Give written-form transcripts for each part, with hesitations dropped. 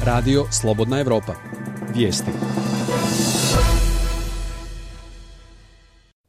Radio Slobodna Evropa. Vijesti.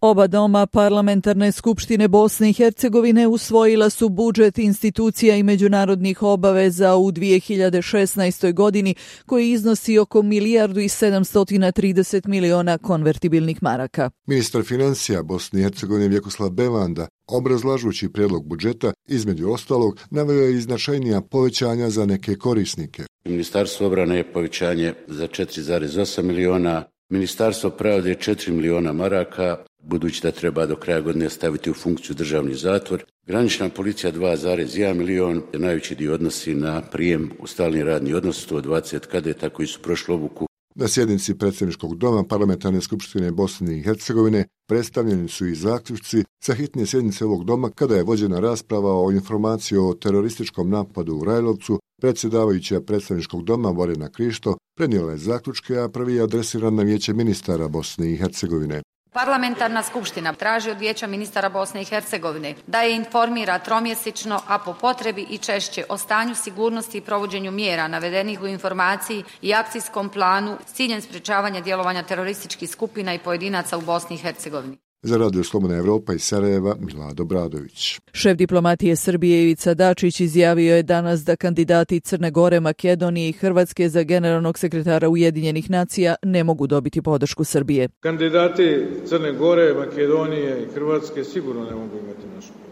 Oba doma parlamentarne skupštine Bosne i Hercegovine usvojila su budžet institucija i međunarodnih obaveza u 2016. godini koji iznosi oko 1.730 miliona konvertibilnih maraka. Ministar financija Bosne i Hercegovine Vjekoslav Bevanda, obrazlažući prijedlog budžeta, između ostalog, naveo je i značajnija povećanja za neke korisnike. Ministarstvo obrane je povećanje za 4,8 miliona, Ministarstvo pravde 4 miliona maraka, budući da treba do kraja godine staviti u funkciju državni zatvor. Granična policija 2,1 milion, najveći dio odnosi na prijem u stalni radni odnos, 120 kadeta koji su prošli obuku. Na sjednici predsjedničkog doma parlamentarne skupštine Bosne i Hercegovine predstavljeni su i zaključci sa hitne sjednice ovog doma kada je vođena rasprava o informaciji o terorističkom napadu u Rajlovcu. Predsjedavajuća predstavničkog doma Borjana Krišto prenijela je zaključke, a prvi je adresiran na Vijeće ministara Bosne i Hercegovine. Parlamentarna skupština traži od Vijeća ministara Bosne i Hercegovine da je informira tromjesečno, a po potrebi i češće, o stanju sigurnosti i provođenju mjera navedenih u informaciji i akcijskom planu s ciljem sprječavanja djelovanja terorističkih skupina i pojedinaca u Bosni i Hercegovini. Za Radio Slobodna Evropa iz Sarajeva, Milado Bradović. Šef diplomatije Srbije Ivica Dačić izjavio je danas da kandidati Crne Gore, Makedonije i Hrvatske za generalnog sekretara Ujedinjenih nacija ne mogu dobiti podršku Srbije. Kandidati Crne Gore, Makedonije i Hrvatske sigurno ne mogu imati našu podršku.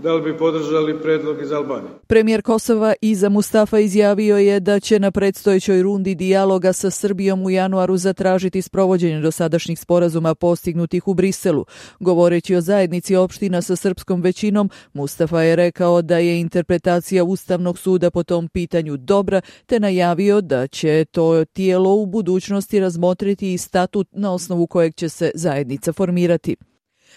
Da li bi podržali predlog iz Albanije? Premijer Kosova Iza Mustafa izjavio je da će na predstojećoj rundi dijaloga sa Srbijom u januaru zatražiti sprovođenje dosadašnjih sporazuma postignutih u Briselu. Govoreći o zajednici opština sa srpskom većinom, Mustafa je rekao da je interpretacija Ustavnog suda po tom pitanju dobra, te najavio da će to tijelo u budućnosti razmotriti i statut na osnovu kojeg će se zajednica formirati.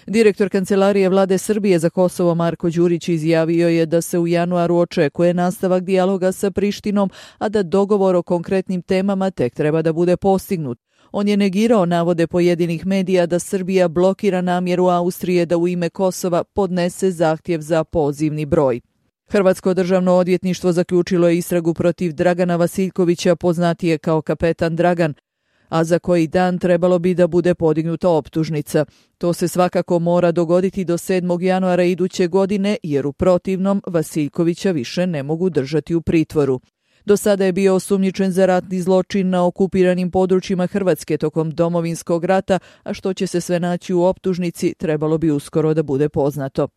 Direktor Kancelarije Vlade Srbije za Kosovo Marko Đurić izjavio je da se u januaru očekuje nastavak dijaloga sa Prištinom, a da dogovor o konkretnim temama tek treba da bude postignut. On je negirao navode pojedinih medija da Srbija blokira namjeru Austrije da u ime Kosova podnese zahtjev za pozivni broj. Hrvatsko državno odvjetništvo zaključilo je istragu protiv Dragana Vasiljkovića, poznatije kao Kapetan Dragan, a za koji dan trebalo bi da bude podignuta optužnica. To se svakako mora dogoditi do 7. januara iduće godine, jer u protivnom Vasiljkovića više ne mogu držati u pritvoru. Do sada je bio osumnjičen za ratni zločin na okupiranim područjima Hrvatske tokom Domovinskog rata, a što će se sve naći u optužnici trebalo bi uskoro da bude poznato.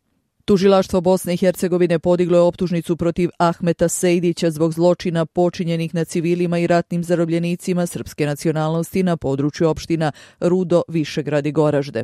Tužilaštvo Bosne i Hercegovine podiglo je optužnicu protiv Ahmeta Sejdića zbog zločina počinjenih na civilima i ratnim zarobljenicima srpske nacionalnosti na području opština Rudo, Višegrad i Goražde.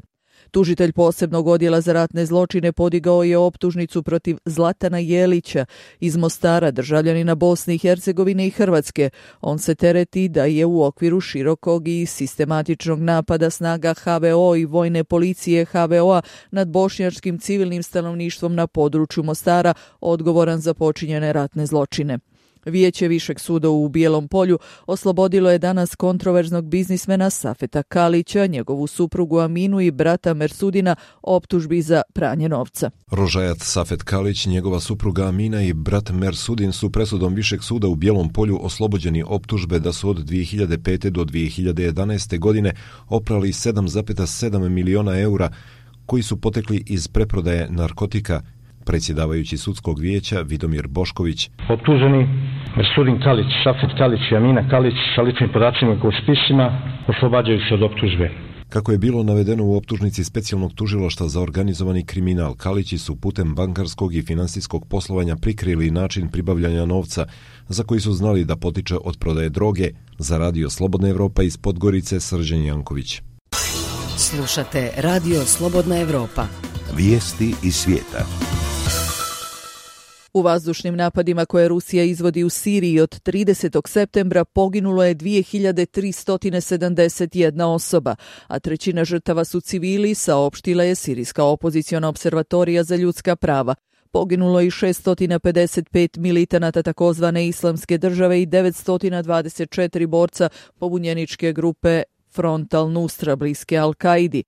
Tužitelj posebnog odjela za ratne zločine podigao je optužnicu protiv Zlatana Jelića iz Mostara, državljanina Bosne i Hercegovine i Hrvatske. On se tereti da je u okviru širokog i sistematičnog napada snaga HVO i vojne policije HVO-a nad bošnjačkim civilnim stanovništvom na području Mostara odgovoran za počinjene ratne zločine. Vijeće Višeg suda u Bijelom Polju oslobodilo je danas kontroverznog biznismena Safeta Kalića, njegovu suprugu Aminu i brata Mersudina optužbi za pranje novca. Rožajat Safet Kalić, njegova supruga Amina i brat Mersudin su presudom Višeg suda u Bijelom Polju oslobođeni optužbe da su od 2005. do 2011. godine oprali 7,7 miliona eura koji su potekli iz preprodaje narkotika. Predsjedavajući sudskog vijeća Vidomir Bošković. Optuženi Mersudin Kalić, Safet Kalić i Amina Kalić sa ličnim podacima u spisima oslobađaju se od optužbe. Kako je bilo navedeno u optužnici specijalnog tužilaštva za organizovani kriminal, Kalići su putem bankarskog i finansijskog poslovanja prikrili način pribavljanja novca za koji su znali da potiče od prodaje droge. Za Radio Slobodna Evropa iz Podgorice, Srđan Janković. Slušate Radio Slobodna Evropa. Vijesti iz svijeta. U vazdušnim napadima koje Rusija izvodi u Siriji od 30. septembra poginulo je 2371 osoba, a trećina žrtava su civili, saopštila je Sirijska opoziciona observatorija za ljudska prava. Poginulo je i 655 militanata takozvane Islamske države i 924 borca pobunjeničke grupe Front al-Nusra bliske Al-Kaidi.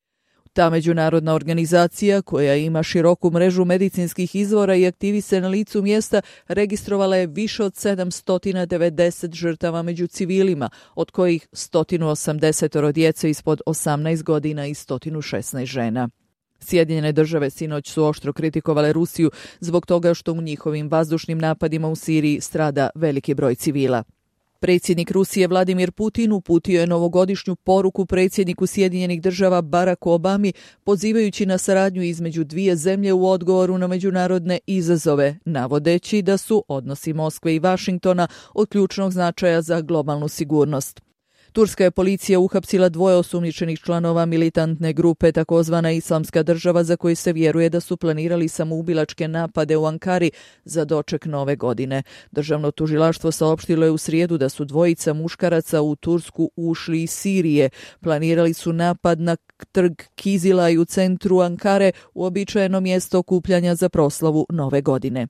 Ta međunarodna organizacija, koja ima široku mrežu medicinskih izvora i aktivi se na licu mjesta, registrovala je više od 790 žrtava među civilima, od kojih 180 djece ispod 18 godina i 116 žena. Sjedinjene države sinoć su oštro kritikovale Rusiju zbog toga što u njihovim vazdušnim napadima u Siriji strada veliki broj civila. Predsjednik Rusije Vladimir Putin uputio je novogodišnju poruku predsjedniku Sjedinjenih država Baracku Obami, pozivajući na saradnju između dvije zemlje u odgovoru na međunarodne izazove, navodeći da su odnosi Moskve i Vašingtona od ključnog značaja za globalnu sigurnost. Turska je policija uhapsila 2 osumnjičenih članova militantne grupe takozvana Islamska država, za koji se vjeruje da su planirali samoubilačke napade u Ankari za doček nove godine. Državno tužilaštvo saopštilo je u srijedu da su 2 muškaraca u Tursku ušli iz Sirije. Planirali su napad na trg Kizilaj u centru Ankare, uobičajeno mjesto okupljanja za proslavu nove godine.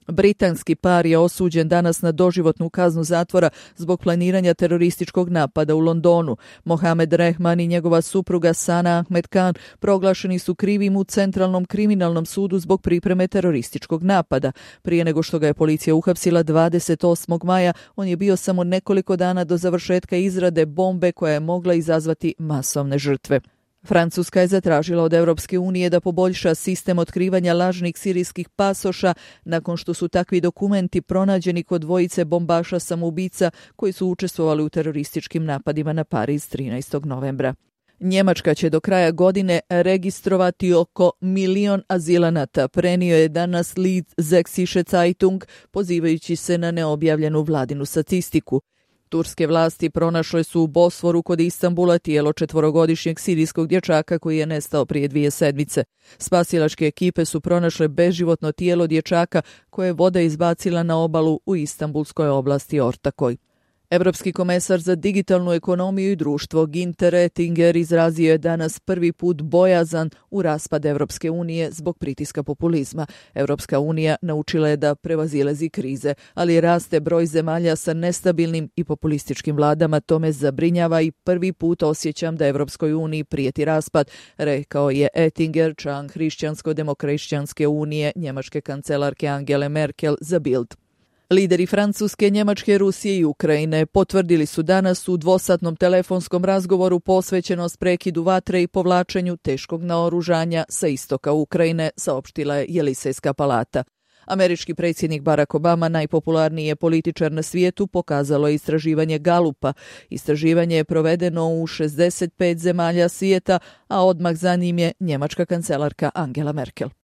Britanski par je osuđen danas na doživotnu kaznu zatvora zbog planiranja terorističkog napada u Londonu. Mohamed Rehman i njegova supruga Sana Ahmed Khan proglašeni su krivim u Centralnom kriminalnom sudu zbog pripreme terorističkog napada. Prije nego što ga je policija uhapsila 28. maja, on je bio samo nekoliko dana do završetka izrade bombe koja je mogla izazvati masovne žrtve. Francuska je zatražila od Europske unije da poboljša sistem otkrivanja lažnih sirijskih pasoša nakon što su takvi dokumenti pronađeni kod 2 bombaša samoubica koji su učestvovali u terorističkim napadima na Pariz 13. novembra. Njemačka će do kraja godine registrovati oko 1.000.000 azilanata, prenio je danas Lied Sächsische Zeitung, pozivajući se na neobjavljenu vladinu statistiku. Turske vlasti pronašle su u Bosforu kod Istanbula tijelo 4-godišnjeg sirijskog dječaka koji je nestao prije 2 sedmice. Spasilačke ekipe su pronašle beživotno tijelo dječaka koje je voda izbacila na obalu u Istanbulskoj oblasti Ortakoj. Europski komesar za digitalnu ekonomiju i društvo Günther Oettinger izrazio je danas prvi put bojazan u raspad Europske unije zbog pritiska populizma. Europska unija naučila je da prevazilazi krize, ali raste broj zemalja sa nestabilnim i populističkim vladama. To me zabrinjava i prvi put osjećam da Europskoj uniji prijeti raspad, rekao je Oettinger, član Hrišćansko-demokršćanske unije, njemačke kancelarke Angele Merkel za Bild. Lideri Francuske, Njemačke, Rusije i Ukrajine potvrdili su danas u dvosatnom telefonskom razgovoru posvećenost prekidu vatre i povlačenju teškog naoružanja sa istoka Ukrajine, saopštila je Jelisejska palata. Američki predsjednik Barack Obama, najpopularniji je političar na svijetu, pokazalo je istraživanje Galupa. Istraživanje je provedeno u 65 zemalja svijeta, a odmah za njim je njemačka kancelarka Angela Merkel.